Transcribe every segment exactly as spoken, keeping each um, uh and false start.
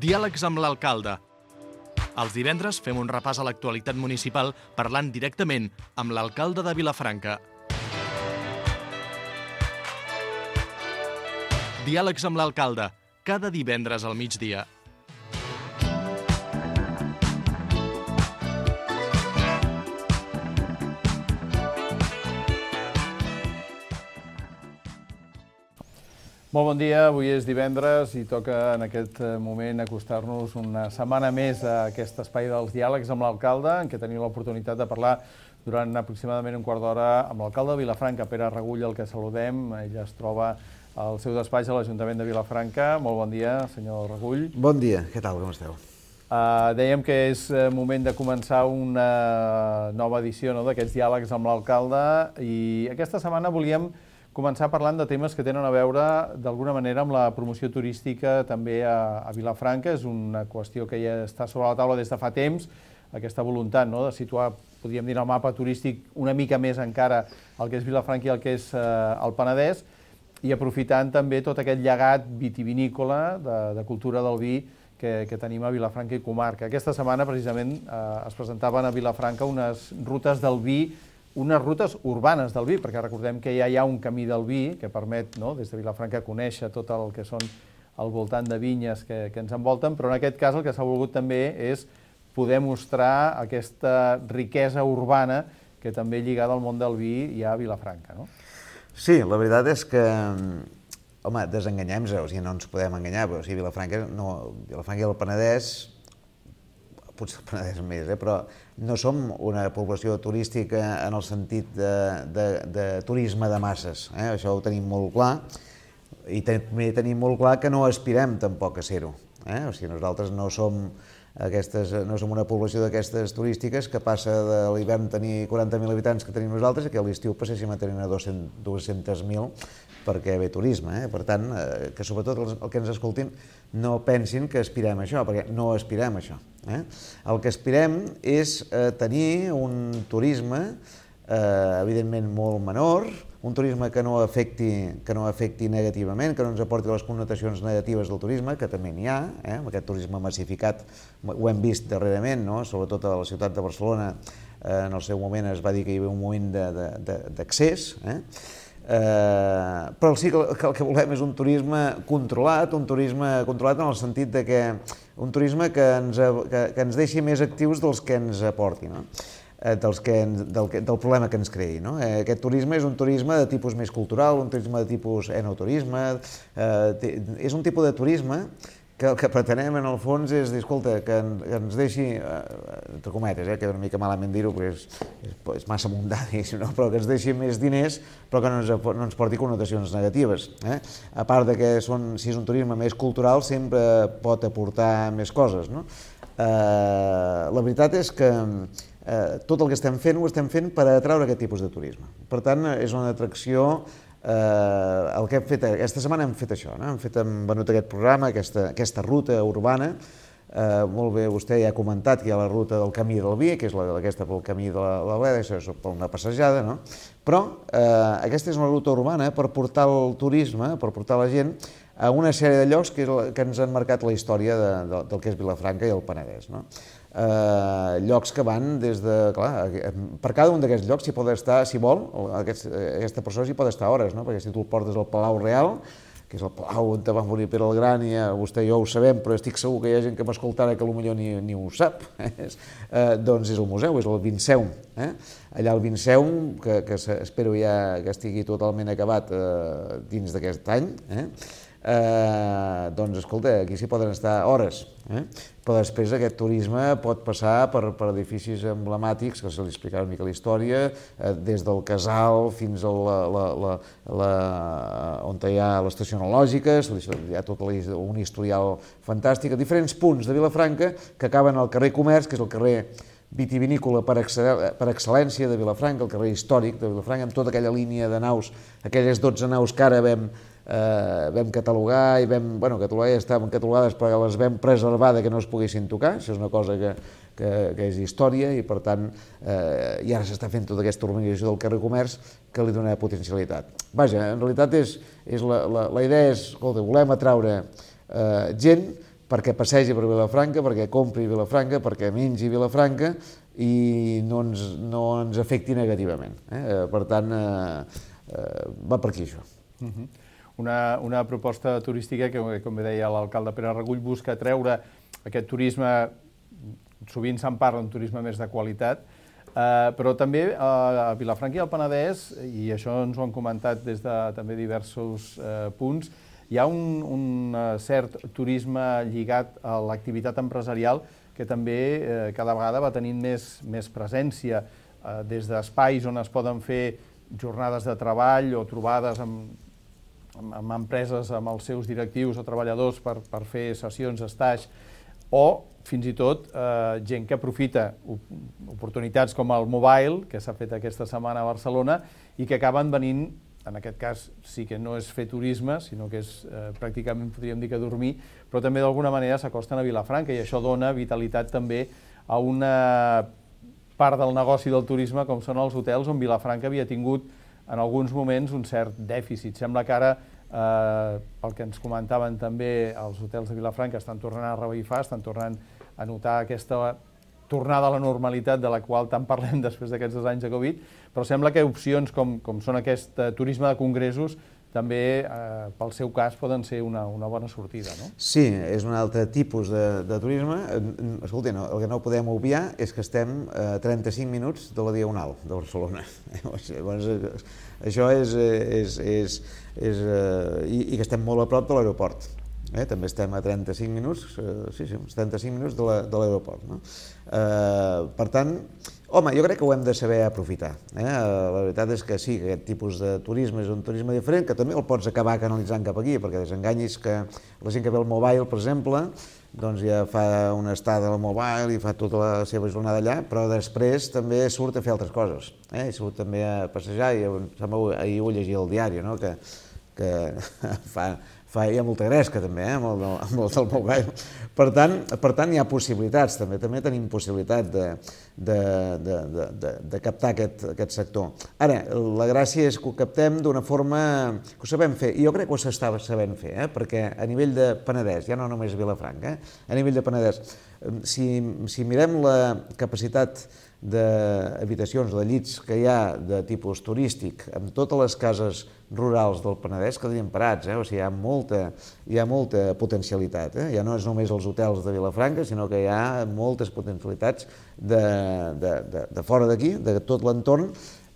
Diàlegs amb l'alcalde. Els divendres fem un repàs a l'actualitat municipal parlant directament amb l'alcalde de Vilafranca. Diàlegs amb l'alcalde, cada divendres al migdia. Molt bon dia, avui és divendres i toca en aquest moment acostar-nos una setmana més a aquest espai dels diàlegs amb l'alcalde, en què tenim l'oportunitat de parlar durant aproximadament un quart d'hora amb l'alcalde de Vilafranca, Pere Regull, el que saludem. Ell es troba al seu despatx a l'Ajuntament de Vilafranca. Molt bon dia, senyor Regull. Bon dia, què tal, com esteu? Uh, dèiem que és moment de començar una nova edició, no?, d'aquests diàlegs amb l'alcalde, i aquesta setmana volíem començar parlant de temes que tenen a veure, d'alguna manera, amb la promoció turística també a, a Vilafranca. És una qüestió que ja està sobre la taula des de fa temps, aquesta voluntat, no?, de situar, podríem dir, el mapa turístic una mica més encara el que és Vilafranca i el que és eh, el Penedès, i aprofitant també tot aquest llegat vitivinícola de, de cultura del vi que, que tenim a Vilafranca i comarca. Aquesta setmana, precisament, eh, es presentaven a Vilafranca unes rutes del vi, unes rutes urbanes del vi, perquè recordem que ja hi ha un camí del vi que permet, no?, des de Vilafranca conèixer tot el que són al voltant de vinyes que, que ens envolten, però en aquest cas el que s'ha volgut també és poder mostrar aquesta riquesa urbana que també lligada al món del vi hi ha a Vilafranca, no? Sí, la veritat és que, home, desenganyem-nos, o sigui, no ens podem enganyar, però o sigui, Vilafranca, no, Vilafranca i el Penedès, potser el Penedès més, eh, però no som una població turística en el sentit de, de, de turisme de masses, eh? Això ho tenim molt clar, i també tenim molt clar que no aspirem tampoc a ser-ho, eh? O sigui, nosaltres no som, aquestes, no som una població d'aquestes turístiques que passa de l'hivern tenir quaranta mil habitants que tenim nosaltres i que a l'estiu passéssim a tenir dos-cents mil perquè ve turisme, eh? Per tant, eh, que sobretot els, el que ens escoltin no pensin que aspirem a això, perquè no aspirem a això. Eh? El que aspirem és eh, tenir un turisme eh, evidentment molt menor, un turisme que no afecti, que no afecti negativament, que no ens aporti les connotacions negatives del turisme, que també n'hi ha, eh? Amb aquest turisme massificat, ho hem vist darrerament, no?, sobretot a la ciutat de Barcelona, eh, en el seu moment es va dir que hi havia un moment d'accés, eh? Eh, però sí que el que volem és un turisme controlat, un turisme controlat en el sentit de que un turisme que ens, que, que ens deixi més actius dels que ens aporti, no? eh, dels que ens, del, del problema que ens creï, no? Eh, aquest turisme és un turisme de tipus més cultural, un turisme de tipus enoturisme, eh, és un tipus de turisme que el que pretenem en el fons és dir, escolta, que, en, que ens deixi, eh, entre cometes, eh, que una mica malament dir-ho perquè és, és, és massa mundà, diguéssim, no? Però que ens deixi més diners però que no ens, no ens porti connotacions negatives. Eh? A part de que són, si és un turisme més cultural sempre pot aportar més coses, no? Eh, la veritat és que eh, tot el que estem fent ho estem fent per atraure aquest tipus de turisme. Per tant, és una atracció. Eh, el que hem fet aquesta setmana hem fet això, no? Hem fet, hem venut aquest programa, aquesta, aquesta ruta urbana. Eh, molt bé, vostè ja ha comentat que hi ha la ruta del Camí del Vi, que és la, aquesta pel Camí de la, la Bleda, això és per una passejada, no? Però eh, aquesta és una ruta urbana per portar el turisme, per portar la gent a una sèrie de llocs que, que ens han marcat la història de, de, del que és Vilafranca i el Penedès, no? Eh, llocs que van des de, clar, per cada un d'aquests llocs s'hi pot estar, si vol, aquest, aquesta persona s'hi pot estar hores, no? Perquè si tu el portes al Palau Real, que és el palau on va morir Pere el Gran, i vostè i jo ho sabem, però estic segur que hi ha gent que m'escoltarà que potser ni, ni ho sap, eh, doncs és el museu, és el Vinceum. Eh? Allà el Vinceum, que, que espero ja que estigui totalment acabat eh, dins d'aquest any, eh? Eh, doncs escolta, aquí s'hi poden estar hores, eh? Però després aquest turisme pot passar per, per edificis emblemàtics, que se li explicarà una mica la història, eh, des del Casal fins a la, la, la, la, on hi ha l'estació enològica, hi ha tot un historial fantàstic, a diferents punts de Vilafranca que acaben al carrer Comerç, que és el carrer vitivinícola per, per excel·lència de Vilafranca, el carrer històric de Vilafranca, amb tota aquella línia de naus, aquelles dotze naus que ara vam Eh, vam catalogar i vam, bueno, catalogar ja estaven catalogades però les vam preservar que no es poguessin tocar, això és una cosa que, que, que és història i per tant eh, i ara s'està fent tota aquesta urbanització del carrer Comerç que li dona potencialitat. Vaja, en realitat és, és la, la, la idea és, escolta, volem atraure eh, gent perquè passegi per Vilafranca, perquè compri Vilafranca, perquè mengi Vilafranca i no ens, no ens afecti negativament. Eh? Per tant, eh, eh, va per aquí això. Uh-huh. Una, una proposta turística que, com bé deia l'alcalde Pere Regull, busca treure aquest turisme, sovint se'n parla d'un turisme més de qualitat, eh, però també a Vilafranca i al Penedès, i això ens ho han comentat des de també diversos eh, punts, hi ha un, un cert turisme lligat a l'activitat empresarial que també eh, cada vegada va tenint més, més presència, eh, des d'espais on es poden fer jornades de treball o trobades amb, amb, amb empreses, amb els seus directius o treballadors per, per fer sessions, estatge, o fins i tot eh, gent que aprofita oportunitats com el mobile, que s'ha fet aquesta setmana a Barcelona, i que acaben venint, en aquest cas sí que no és fer turisme, sinó que és eh, pràcticament, podríem dir que dormir, però també d'alguna manera s'acosten a Vilafranca i això dona vitalitat també a una part del negoci del turisme com són els hotels, on Vilafranca havia tingut en alguns moments un cert dèficit. Sembla que ara, eh, pel que ens comentaven també, els hotels de Vilafranca estan tornant a revifar, estan tornant a notar aquesta tornada a la normalitat de la qual tant parlem després d'aquests dos anys de Covid, però sembla que opcions com, com són aquest uh, turisme de congressos també, eh, pel seu cas, poden ser una, una bona sortida, no? Sí, és un altre tipus de, de turisme. Escolta, no, el que no podem obviar és que estem a trenta-cinc minuts de la Diagonal de Barcelona. Llavors, això és... és, és, és eh, i, i que estem molt a prop de l'aeroport. Eh, també estem a trenta-cinc minuts, eh, sí, sí, trenta-cinc minuts de l'aeroport. No? Eh, per tant, home, jo crec que ho hem de saber aprofitar. Eh? La veritat és que sí, que aquest tipus de turisme és un turisme diferent, que també el pots acabar canalitzant cap aquí, perquè desenganyis que la gent que ve al mobile, per exemple, doncs ja fa una estada al mobile i fa tota la seva jornada allà, però després també surt a fer altres coses. Eh? I surt també a passejar, i ahir ho llegia al diari, no? que, que fa... Fa, hi ha molta gresca també, eh, amb el, amb el del mobile. Per tant, per tant, hi ha possibilitats, també també tenim possibilitat de, de, de, de, de, de captar aquest, aquest sector. Ara, la gràcia és que ho captem d'una forma que ho sabem fer, i jo crec que ho s'està sabent fer, eh, perquè a nivell de Penedès, ja no només Vilafranca, eh, a nivell de Penedès, si, si mirem la capacitat d'habitacions, de llits que hi ha de tipus turístic amb totes les cases rurals del Penedès quedarien parats, eh? O sigui, hi ha molta, hi ha molta potencialitat, eh? Ja no és només els hotels de Vilafranca, sinó que hi ha moltes potencialitats de, de, de, de fora d'aquí, de tot l'entorn,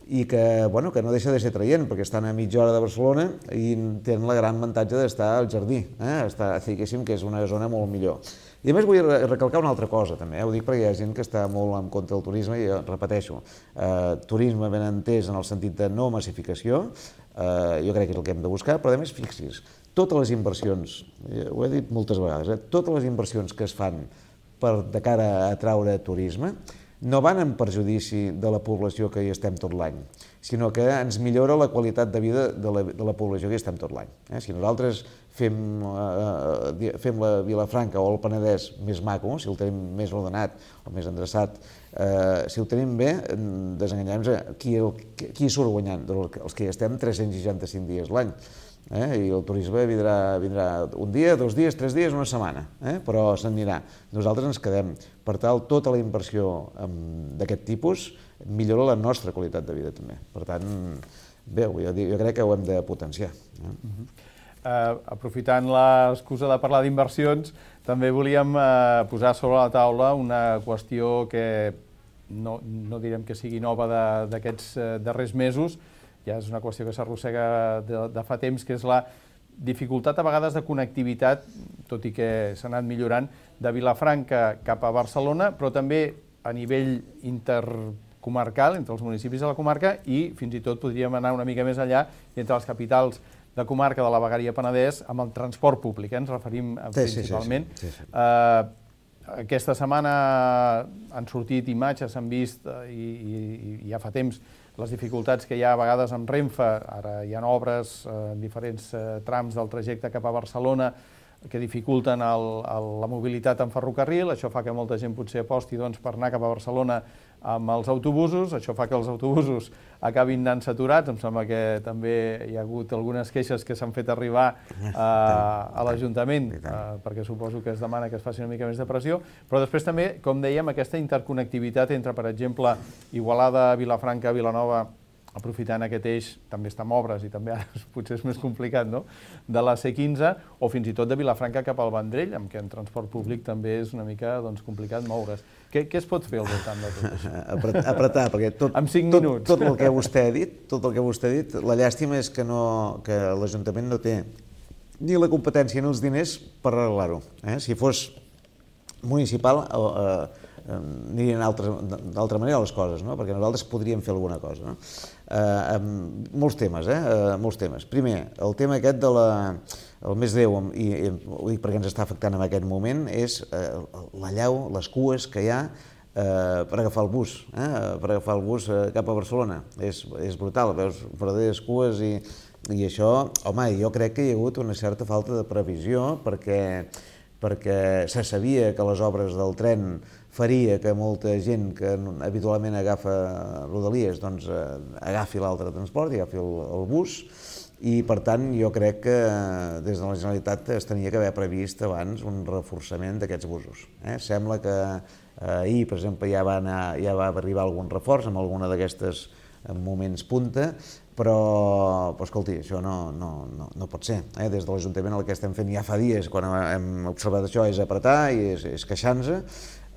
i que, bueno, que no deixa de ser traient, perquè estan a mitja hora de Barcelona i tenen el gran avantatge d'estar al jardí, eh? Està, diguéssim que és una zona molt millor. I a més vull recalcar una altra cosa també, eh? Ho dic perquè hi ha gent que està molt en contra del turisme i jo repeteixo, eh, turisme ben entès en el sentit de no massificació, eh, jo crec que és el que hem de buscar, però a més fixis, totes les inversions, ho he dit moltes vegades, eh, totes les inversions que es fan per, de cara a atraure turisme no van en perjudici de la població que hi estem tot l'any, sinó que ens millora la qualitat de vida de la, de la població que hi estem tot l'any. Eh? Si nosaltres fem, eh, fem la Vilafranca o el Penedès més maco, si el tenim més ordenat o més endreçat, eh, si ho tenim bé, desenganyem-nos qui, qui surt guanyant? Els que hi estem tres-cents seixanta-cinc dies l'any. Eh? I el turisme vindrà, vindrà un dia, dos dies, tres dies, una setmana, eh? Però se'n anirà. Nosaltres ens quedem. Per tal, tota la inversió d'aquest tipus millora la nostra qualitat de vida també. Per tant, bé, jo, jo crec que ho hem de potenciar. Eh? Uh-huh. uh, aprofitant l'excusa de parlar d'inversions, també volíem uh, posar sobre la taula una qüestió que no, no direm que sigui nova d'aquests uh, darrers mesos, ja és una qüestió que s'arrossega de, de fa temps, que és la dificultat a vegades de connectivitat, tot i que s'ha anat millorant, de Vilafranca cap a Barcelona, però també a nivell intercomarcal, entre els municipis de la comarca, i fins i tot podríem anar una mica més enllà entre les capitals de comarca de la Vegueria Penedès amb el transport públic, eh? Ens referim sí, principalment. Sí, sí, sí. Sí, sí. Uh, aquesta setmana han sortit imatges, s'han vist, uh, i, i, i ja fa temps, les dificultats que hi ha a vegades amb Renfe. Ara hi ha obres en diferents trams del trajecte cap a Barcelona que dificulten el, el, la mobilitat en ferrocarril. Això fa que molta gent potser aposti doncs, per anar cap a Barcelona amb els autobusos, això fa que els autobusos acabin anant saturats, em sembla que també hi ha hagut algunes queixes que s'han fet arribar a, a l'Ajuntament, perquè suposo que es demana que es faci una mica més de pressió, però després també, com dèiem, aquesta interconnectivitat entre, per exemple, Igualada, Vilafranca, Vilanova, aprofitant aquest eix, també està en obres i també ara potser és més complicat, no?, de la C quinze, o fins i tot de Vilafranca cap al Vendrell, amb què en transport públic també és una mica doncs, complicat moure's. Què, què es pot fer al voltant de tot això? Apretar, apretar perquè tot, en cinc tot, minuts. tot el que vostè ha dit, tot el que vostè ha dit, la llàstima és que, no, que l'Ajuntament no té ni la competència ni els diners per arreglar-ho. Eh? Si fos municipal, eh, anirien d'altra manera les coses, no? Perquè nosaltres podríem fer alguna cosa. No? Eh, molts temes, eh? eh? Molts temes. Primer, el tema aquest de la... El més greu, i, i ho dic perquè ens està afectant en aquest moment, és eh, la llau, les cues que hi ha eh, per agafar el bus, eh? per agafar el bus eh, cap a Barcelona. És, és brutal, veus verdaderes cues i, i això, home, jo crec que hi ha hagut una certa falta de previsió perquè, perquè se sabia que les obres del tren faria que molta gent que habitualment agafa Rodalies doncs, eh, agafi l'altre transport, agafi el, el bus, i per tant jo crec que des de la Generalitat es tenia que haver previst abans un reforçament d'aquests busos. Eh? Sembla que eh, ahir, per exemple, ja va, anar, ja va arribar algun reforç amb alguna d'aquestes moments punta, però, però escolti, això no, no, no, no pot ser. Eh? Des de l'Ajuntament el que estem fent ja fa dies, quan hem observat això, és apretar i és, és queixar-nos,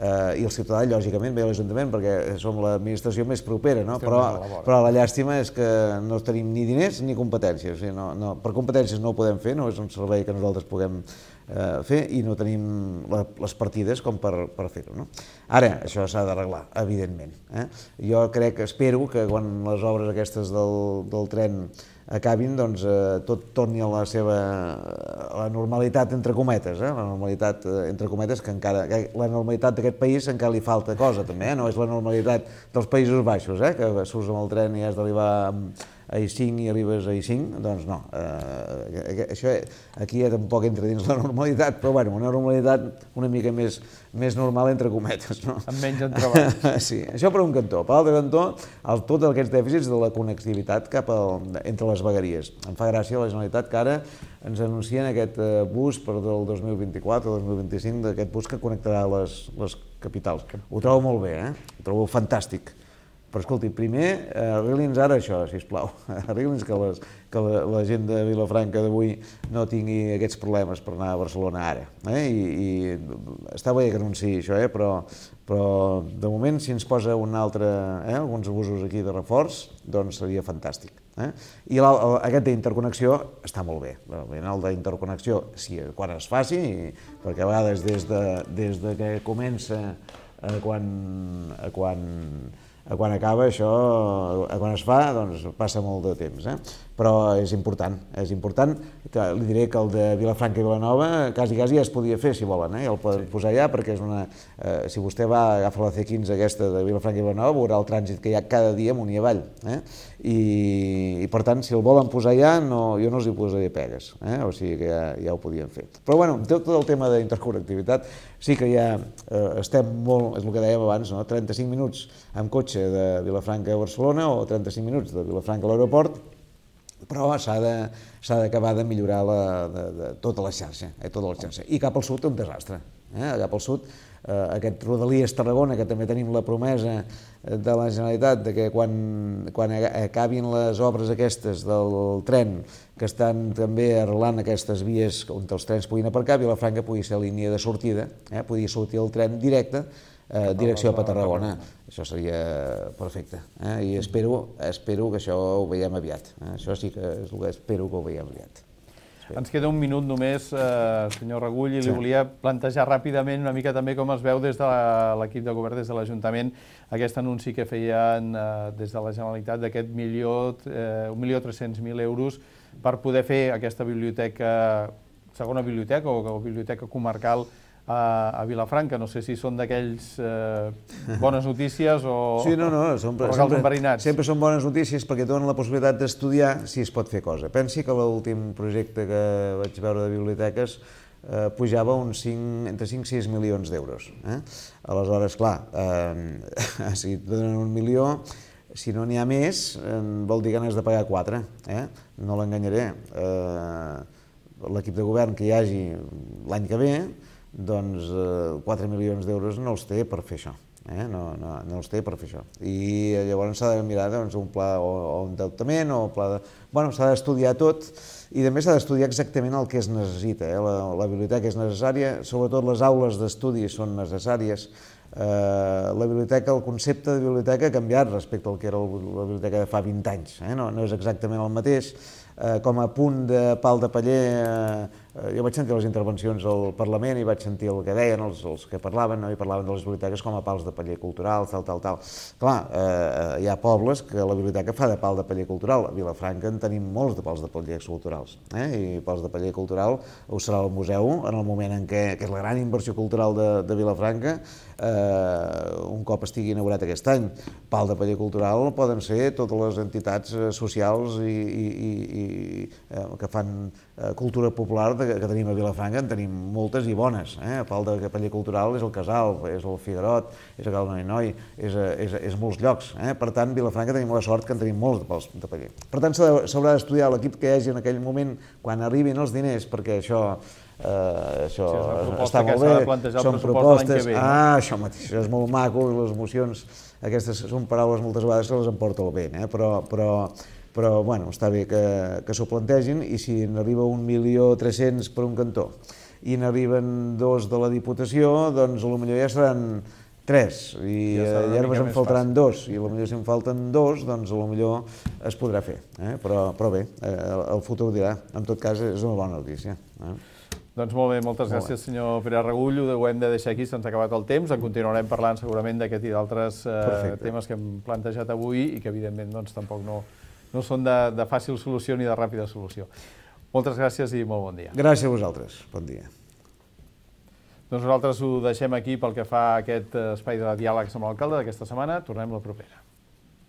Uh, i el ciutadà, lògicament, ve a l'Ajuntament perquè som l'administració més propera, no? però, però la llàstima és que no tenim ni diners ni competències. O sigui, no, no, per competències no ho podem fer, no és un servei que nosaltres puguem uh, fer i no tenim la, les partides com per, per fer-ho. No? Ara, això s'ha d'arreglar, evidentment. Eh? Jo crec, espero que quan les obres aquestes del, del tren acabin, doncs eh, tot torni a la seva a la normalitat entre cometes, eh? la normalitat eh, entre cometes que encara, que la normalitat d'aquest país encara li falta cosa també, eh? No és la normalitat dels Països Baixos, eh? Que surts amb el tren i has d'arribar a I cinc i arribes a I cinc, doncs no, eh, això aquí ja tampoc entra dins la normalitat, però bueno, una normalitat una mica més, més normal entre cometes, no? Amb menys entrebancs. Sí, això per un cantó. Per l'altre cantó, el, tots aquests dèficits de la connectivitat cap al, entre les vegueries. Em fa gràcia la Generalitat que ara ens anuncien aquest bus per del dos mil vint-i-quatre o dos mil vint-i-cinc, d'aquest bus que connectarà les, les capitals. Ho trobo molt bé, eh? Ho trobo fantàstic. Però, escolti, primer, arregli'ns ara això, sisplau. Arregli'ns que, les, que la, la gent de Vilafranca d'avui no tingui aquests problemes per anar a Barcelona ara. Eh? I, i està bé que anunciï això, eh? però, però de moment, si ens posa un altre, eh? alguns abusos aquí de reforç, doncs seria fantàstic. Eh? I la, aquest d'interconnexió està molt bé. El d'interconnexió, sí, quan es faci, perquè a vegades des de, des de que comença a quan... A quan quan acaba això, quan es fa, doncs passa molt de temps, eh? Però és important, és important, que li diré que el de Vilafranca i Vilanova quasi, quasi ja es podia fer, si volen, eh? Ja el poden sí. posar allà, perquè és una... Eh, si vostè va agafar la C quinze aquesta de Vilafranca i Vilanova, veurà el trànsit que hi ha cada dia amunt i avall, eh? I, i per tant, si el volen posar allà, no, jo no els hi posaré pegues, eh? O sigui que ja, ja ho podien fer. Però bueno, tot el tema d'interconnectivitat, sí que ja eh, estem molt, és el que dèiem abans, no? trenta-cinc minuts amb cotxe de Vilafranca a Barcelona o trenta-cinc minuts de Vilafranca a l'aeroport, però s'ha d'acabar de, de millorar la, de, de, tota la xarxa, eh, tota la xarxa. I cap al sud un desastre. Eh? Cap al sud, eh, aquest Rodalies Tarragona, que també tenim la promesa de la Generalitat de que quan, quan acabin les obres aquestes del tren, que estan també arreglant aquestes vies on els trens puguin aparcar, Vilafranca pugui ser línia de sortida, eh? pugui sortir el tren directe, Eh, direcció a Tarragona. Això seria perfecte. Eh? I espero, espero que això ho veiem aviat. Eh? Això sí que és el que espero que ho veiem aviat. Espero. Ens queda un minut només, eh, senyor Regull, i li sí. volia plantejar ràpidament una mica també com es veu des de l'equip de govern, des de l'Ajuntament, aquest anunci que feien eh, des de la Generalitat d'aquest milió, eh, un milió tres-cents mil euros per poder fer aquesta biblioteca, segona biblioteca o, o biblioteca comarcal a Vilafranca. No sé si són d'aquells eh, bones notícies o, sí, no, no, són, o regals enverinats. Sempre són bones notícies perquè donen la possibilitat d'estudiar si es pot fer cosa. Pensi que l'últim projecte que vaig veure de biblioteques eh, pujava uns cinc, entre cinc i sis milions d'euros. Eh? Aleshores, clar, eh, si et donen un milió, si no n'hi ha més, eh, vol dir que n'has de pagar quatre. Eh? No l'enganyaré. Eh, L'equip de govern que hi hagi l'any que ve, doncs eh, quatre milions d'euros no els té per fer això. Eh? No, no, no els té per fer això. I llavors s'ha de mirar doncs, un pla o, o un endeutament o un pla de... Bueno, s'ha d'estudiar tot i també s'ha d'estudiar exactament el que es necessita. Eh? La, la biblioteca és necessària, sobretot les aules d'estudi són necessàries. Eh, la biblioteca, el concepte de biblioteca ha canviat respecte al que era la biblioteca de fa vint anys. Eh? No, no és exactament el mateix. Eh, com a punt de pal de paller, eh, jo vaig sentir les intervencions al Parlament i vaig sentir el que deien els, els que parlaven, no? I parlaven de les biblioteques com a pals de paller culturals, tal, tal, tal. Clar, eh, hi ha pobles que la biblioteca fa de pal de paller cultural. A Vilafranca en tenim molts de pals de paller culturals. Eh? I pals de paller cultural ho serà el museu en el moment en què, que és la gran inversió cultural de, de Vilafranca, eh, un cop estigui inaugurat aquest any. Pal de paller cultural poden ser totes les entitats socials i, i, i, i eh, que fan eh, cultura popular que tenim a Vilafranca, en tenim moltes i bones. Eh? Pal de paller cultural és el Casal, és el Figuerot, és el Cal Noi Noi, és, és, és molts llocs. Eh? Per tant, Vilafranca tenim la sort que en tenim molts de pals de paller. Per tant, s'haurà d'estudiar l'equip que hi hagi en aquell moment, quan arribin els diners, perquè això, eh, això sí, està molt bé, són propostes... Ve, no? Ah, això mateix, això és molt maco, i les emocions, aquestes són paraules moltes vegades que les emporta el vent, eh? però... però però bueno, està bé que, que s'ho plantegin, i si n'arriba un milió tres-cents per un cantó i n'arriben dos de la Diputació, doncs potser ja seran tres, i ja, ja només en faltaran dos, i potser si en falten dos, doncs potser es podrà fer. Eh? Però, però bé, eh, el futur dirà. En tot cas, és una bona notícia. Eh? Doncs molt bé, moltes molt gràcies, bé. senyor Pere Regullo. Ho hem de deixar aquí, se'ns ha acabat el temps. En continuarem parlant segurament d'aquest i d'altres eh, temes que hem plantejat avui i que, evidentment, doncs, tampoc no... no són de, de fàcil solució ni de ràpida solució. Moltes gràcies i molt bon dia. Gràcies a vosaltres. Bon dia. Doncs nosaltres ho deixem aquí pel que fa a aquest espai de diàlegs amb l'alcalde d'aquesta setmana. Tornem la propera.